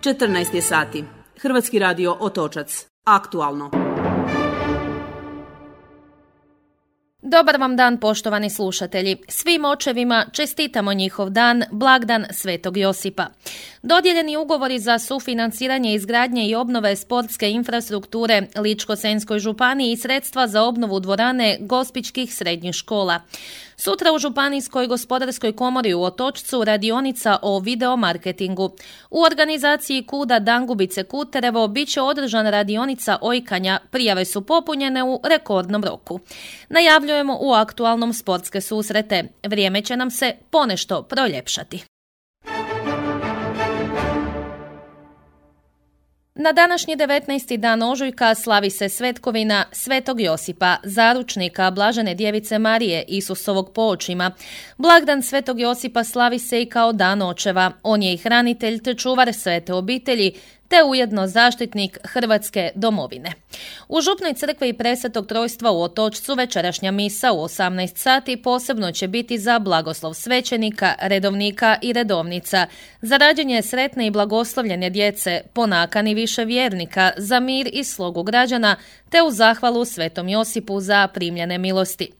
14 je sati. Hrvatski radio Otočac. Aktualno. Dobar vam dan, poštovani slušatelji. Svim očevima čestitamo njihov dan, blagdan Svetog Josipa. Dodijeljeni ugovori za sufinanciranje izgradnje i obnove sportske infrastrukture Ličko-senjskoj županiji i sredstva za obnovu dvorane gospićkih srednjih škola. Sutra u Županijskoj gospodarskoj komori u Otočcu radionica o videomarketingu. U organizaciji KUD-a Dangubice Kuterevo bit će održana radionica ojkanja. Prijave su popunjene u rekordnom roku. Najavljujemo u aktualnom sportske susrete. Vrijeme će nam se ponešto proljepšati. Na današnji 19. dan ožujka slavi se svetkovina Svetog Josipa, zaručnika Blažene Djevice Marije, Isusovog poočima. Blagdan Svetog Josipa slavi se i kao dan očeva. On je i hranitelj te čuvar svete obitelji, te ujedno zaštitnik Hrvatske domovine. U Župnoj crkvi Presvetog Trojstva u Otočcu večerašnja misa u 18 sati posebno će biti za blagoslov svećenika, redovnika i redovnica, za rađenje sretne i blagoslovljene djece, po nakani više vjernika, za mir i slogu građana, te u zahvalu Svetom Josipu za primljene milosti.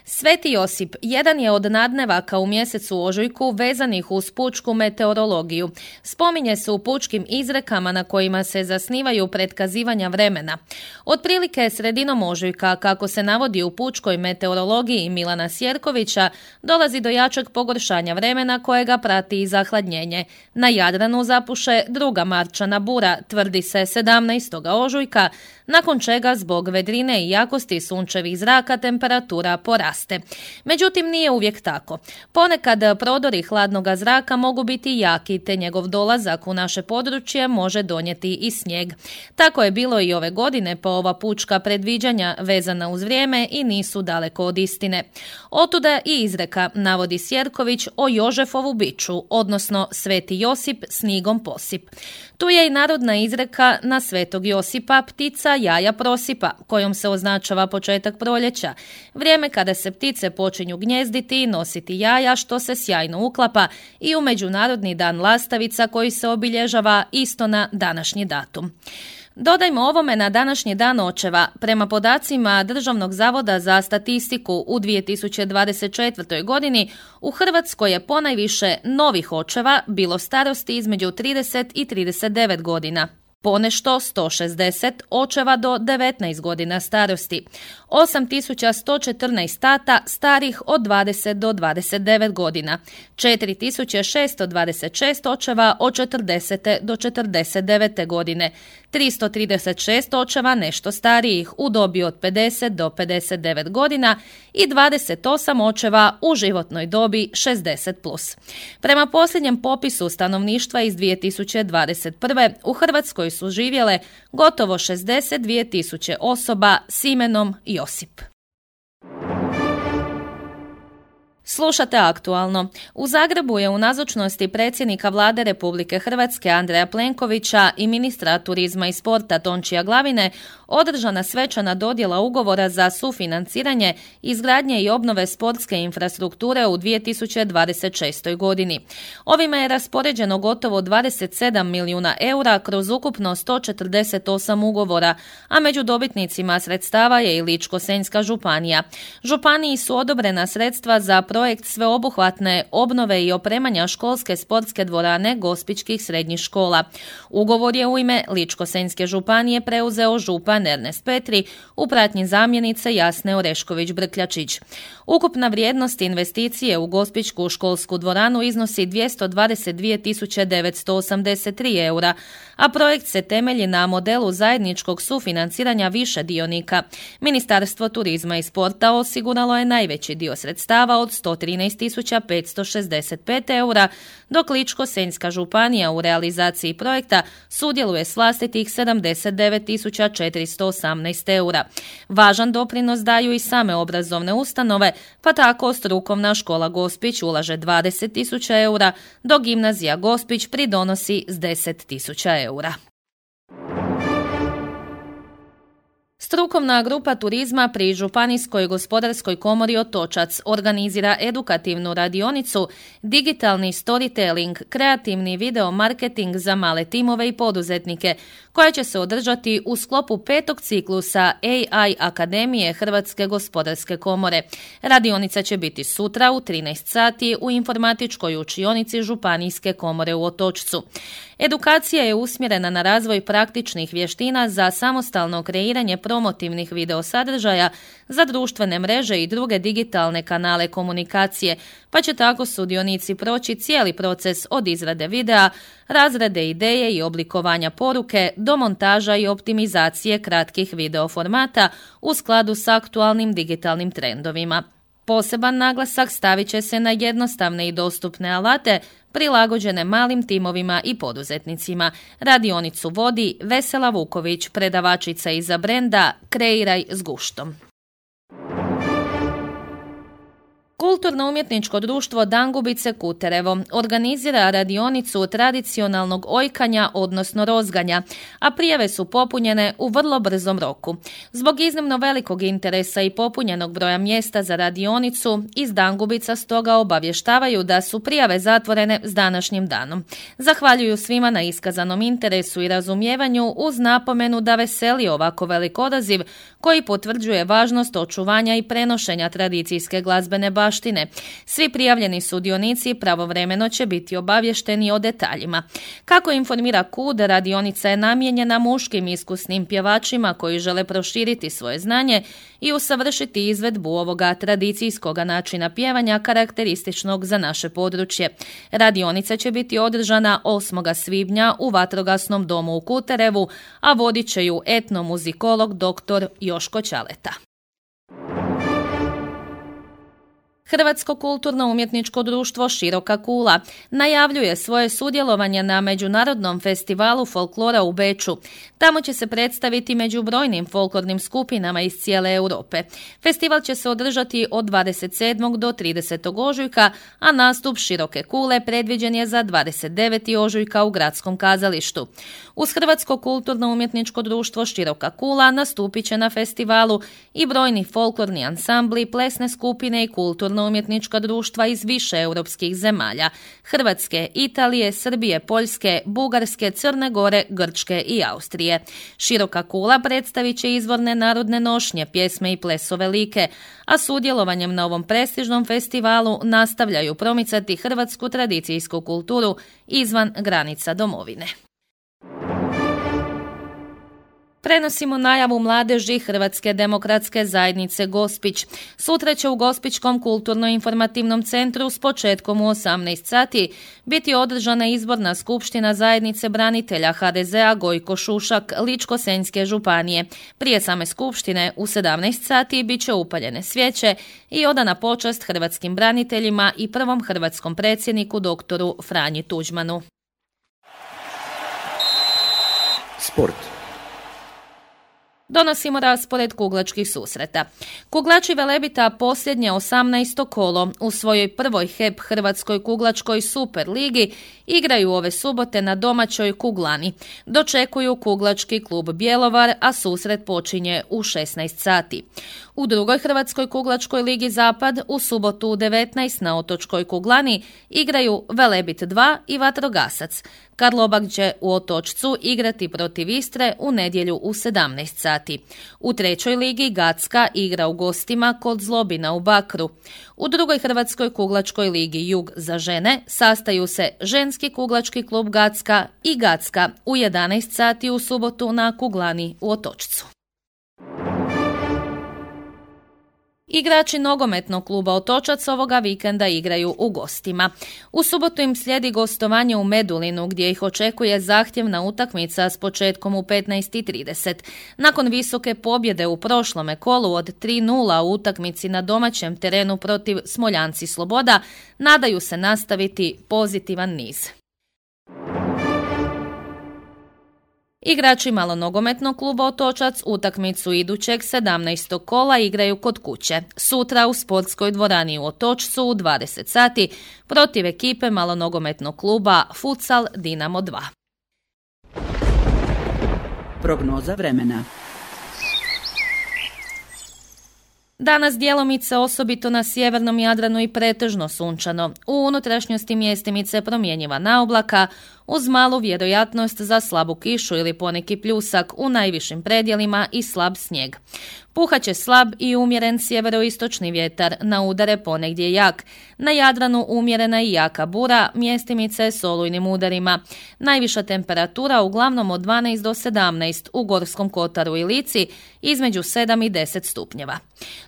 Sveti Josip jedan je od nadnevaka u mjesecu ožujku vezanih uz pučku meteorologiju. Spominje se u pučkim izrekama na kojima se zasnivaju pretkazivanja vremena. Otprilike sredinom ožujka, kako se navodi u pučkoj meteorologiji Milana Sjerkovića, dolazi do jačeg pogoršanja vremena kojega prati i zahladnjenje. Na Jadranu zapuše druga marčana bura, tvrdi se 17. ožujka, nakon čega zbog vedrine i jakosti sunčevih zraka temperatura poraste. Međutim, nije uvijek tako. Ponekad prodori hladnog zraka mogu biti jaki, te njegov dolazak u naše područje može donijeti i snijeg. Tako je bilo i ove godine, pa ova pučka predviđanja vezana uz vrijeme i nisu daleko od istine. Otuda i izreka, navodi Sjerković, o Jožefovu biču, odnosno Sveti Josip snigom posip. Tu je i narodna izreka na Svetog Josipa ptica jaja prosipa, kojom se označava početak proljeća, vrijeme kada se ptice počinju gnjezditi i nositi jaja, što se sjajno uklapa i u Međunarodni dan lastavica koji se obilježava isto na današnji datum. Dodajmo ovome na današnji dan očeva. Prema podacima Državnog zavoda za statistiku u 2024. godini u Hrvatskoj je ponajviše novih očeva bilo starosti između 30 i 39 godina. Ponešto 160 očeva do 19 godina starosti, 8114 tata starih od 20 do 29 godina, 4626 očeva od 40 do 49 godine, 336 očeva nešto starijih u dobi od 50 do 59 godina i 28 očeva u životnoj dobi 60+. Prema posljednjem popisu stanovništva iz 2021. u Hrvatskoj su živjele gotovo 62.000 osoba s imenom Josip. Slušate aktualno. U Zagrebu je u nazočnosti predsjednika Vlade Republike Hrvatske Andreja Plenkovića i ministra turizma i sporta Tončija Glavine održana svečana dodjela ugovora za sufinanciranje izgradnje i obnove sportske infrastrukture u 2026. godini. Ovime je raspoređeno gotovo 27 milijuna eura kroz ukupno 148 ugovora, a među dobitnicima sredstava je i Ličko-senjska županija. Županiji su odobrena sredstva za projekt sveobuhvatne obnove i opremanja školske sportske dvorane gospićkih srednjih škola. Ugovor je u ime Ličko-senjske županije preuzeo župan Ernest Petri u pratnji zamjenice Jasne Orešković-Brkljačić. Ukupna vrijednost investicije u gospićku školsku dvoranu iznosi 222.983 eura, a projekt se temelji na modelu zajedničkog sufinanciranja više dionika. Ministarstvo turizma i sporta osiguralo je najveći dio sredstava od 113.565 eura, dok Ličko-senjska županija u realizaciji projekta sudjeluje s vlastitih 79.418 eura. Važan doprinos daju i same obrazovne ustanove, pa tako strukovna škola Gospić ulaže 20.000 eura, dok gimnazija Gospić pridonosi s 10.000 eura. Strukovna grupa turizma pri Županijskoj gospodarskoj komori Otočac organizira edukativnu radionicu Digitalni storytelling, kreativni video marketing za male timove i poduzetnike, koja će se održati u sklopu 5. ciklusa AI Akademije Hrvatske gospodarske komore. Radionica će biti sutra u 13 sati u informatičkoj učionici Županijske komore u Otočcu. Edukacija je usmjerena na razvoj praktičnih vještina za samostalno kreiranje promotivnih video sadržaja za društvene mreže i druge digitalne kanale komunikacije, pa će tako sudionici proći cijeli proces od izrade videa, razrade ideje i oblikovanja poruke do montaža i optimizacije kratkih video formata u skladu s aktualnim digitalnim trendovima. Poseban naglasak stavit će se na jednostavne i dostupne alate prilagođene malim timovima i poduzetnicima. Radionicu vodi Vesela Vuković, predavačica iza brenda Kreiraj s guštom. Kulturno-umjetničko društvo Dangubice Kuterevo organizira radionicu tradicionalnog ojkanja, odnosno rozganja, a prijave su popunjene u vrlo brzom roku. Zbog iznimno velikog interesa i popunjenog broja mjesta za radionicu, iz Dangubica stoga obavještavaju da su prijave zatvorene s današnjim danom. Zahvaljuju svima na iskazanom interesu i razumijevanju uz napomenu da veseli ovako velik odaziv koji potvrđuje važnost očuvanja i prenošenja tradicijske glazbene baštine. Svi prijavljeni sudionici pravovremeno će biti obavješteni o detaljima. Kako informira KUD, radionica je namijenjena muškim iskusnim pjevačima koji žele proširiti svoje znanje i usavršiti izvedbu ovoga tradicijskog načina pjevanja karakterističnog za naše područje. Radionica će biti održana 8. svibnja u Vatrogasnom domu u Kuterevu, a vodit će ju etnomuzikolog dr. Joško Ćaleta. Hrvatsko kulturno-umjetničko društvo Široka kula najavljuje svoje sudjelovanje na Međunarodnom festivalu folklora u Beču. Tamo će se predstaviti među brojnim folklornim skupinama iz cijele Europe. Festival će se održati od 27. do 30. ožujka, a nastup Široke kule predviđen je za 29. ožujka u Gradskom kazalištu. Uz Hrvatsko kulturno-umjetničko društvo Široka kula nastupit će na festivalu i brojni folklorni ansambli, plesne skupine i kulturno-umjetnička društva iz više europskih zemalja: Hrvatske, Italije, Srbije, Poljske, Bugarske, Crne Gore, Grčke i Austrije. Široka kula predstavit će izvorne narodne nošnje, pjesme i plesove like, a sudjelovanjem na ovom prestižnom festivalu nastavljaju promicati hrvatsku tradicijsku kulturu izvan granica domovine. Prenosimo najavu mladeži Hrvatske demokratske zajednice Gospić. Sutra će u Gospićkom kulturno-informativnom centru s početkom u 18 sati biti održana izborna skupština zajednice branitelja HDZ-a Gojko Šušak Ličko-senjske županije. Prije same skupštine u 17 sati bit će upaljene svijeće i odana počast hrvatskim braniteljima i prvom hrvatskom predsjedniku doktoru Franji Tuđmanu. Sport. Donosimo raspored kuglačkih susreta. Kuglači Velebita posljednje 18. kolo u svojoj prvoj HEP Hrvatskoj kuglačkoj super ligi igraju ove subote na domaćoj Kuglani. Dočekuju kuglački klub Bjelovar, a susret počinje u 16 sati. U drugoj Hrvatskoj kuglačkoj ligi Zapad u subotu u 19 na Otočkoj Kuglani igraju Velebit 2 i Vatrogasac. Karlobag će u Otočcu igrati protiv Istre u nedjelju u 17 sati. U trećoj ligi Gacka igra u gostima kod Zlobina u Bakru. U drugoj Hrvatskoj kuglačkoj ligi Jug za žene sastaju se ženski kuglački klub Gacka i Gacka u 11 sati u subotu na Kuglani u Otočcu. Igrači nogometnog kluba Otočac ovoga vikenda igraju u gostima. U subotu im slijedi gostovanje u Medulinu gdje ih očekuje zahtjevna utakmica s početkom u 15:30. Nakon visoke pobjede u prošlome kolu od 3:0 u utakmici na domaćem terenu protiv Smoljanci Sloboda, nadaju se nastaviti pozitivan niz. Igrači malonogometnog kluba Otočac utakmicu idućeg 17. kola igraju kod kuće. Sutra u sportskoj dvorani u Otočcu u 20 sati protiv ekipe malonogometnog kluba Futsal Dinamo 2. Prognoza vremena. Danas djelomice osobito na sjevernom Jadranu i pretežno sunčano. U unutrašnjosti mjestimice promjenjiva naoblaka uz malu vjerojatnost za slabu kišu ili poneki pljusak u najvišim predjelima i slab snijeg. Puhat će slab i umjeren sjeveroistočni vjetar, na udare ponegdje jak. Na Jadranu umjerena i jaka bura, mjestimice s olujnim udarima. Najviša temperatura uglavnom od 12 do 17, u Gorskom kotaru i Lici između 7 i 10 stupnjeva.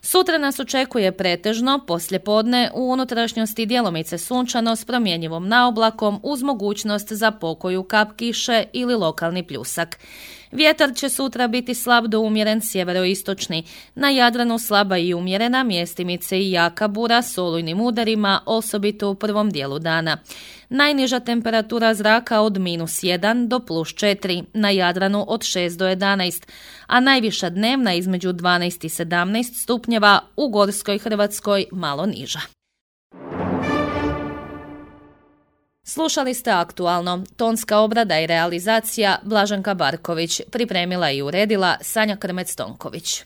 Sutra nas očekuje pretežno, poslijepodne u unutrašnjosti djelomice sunčano s promjenjivom naoblakom uz mogućnost za pokoju kap kiše ili lokalni pljusak. Vjetar će sutra biti slab do umjeren sjeveroistočni. Na Jadranu slaba i umjerena, mjestimice i jaka bura s olujnim udarima, osobito u prvom dijelu dana. Najniža temperatura zraka od -1 do +4, na Jadranu od 6 do 11, a najviša dnevna između 12 i 17 stupnjeva, u Gorskoj Hrvatskoj malo niža. Slušali ste Aktualno. Tonska obrada i realizacija Blaženka Barković. Pripremila i uredila Sanja Krmec-Tonković.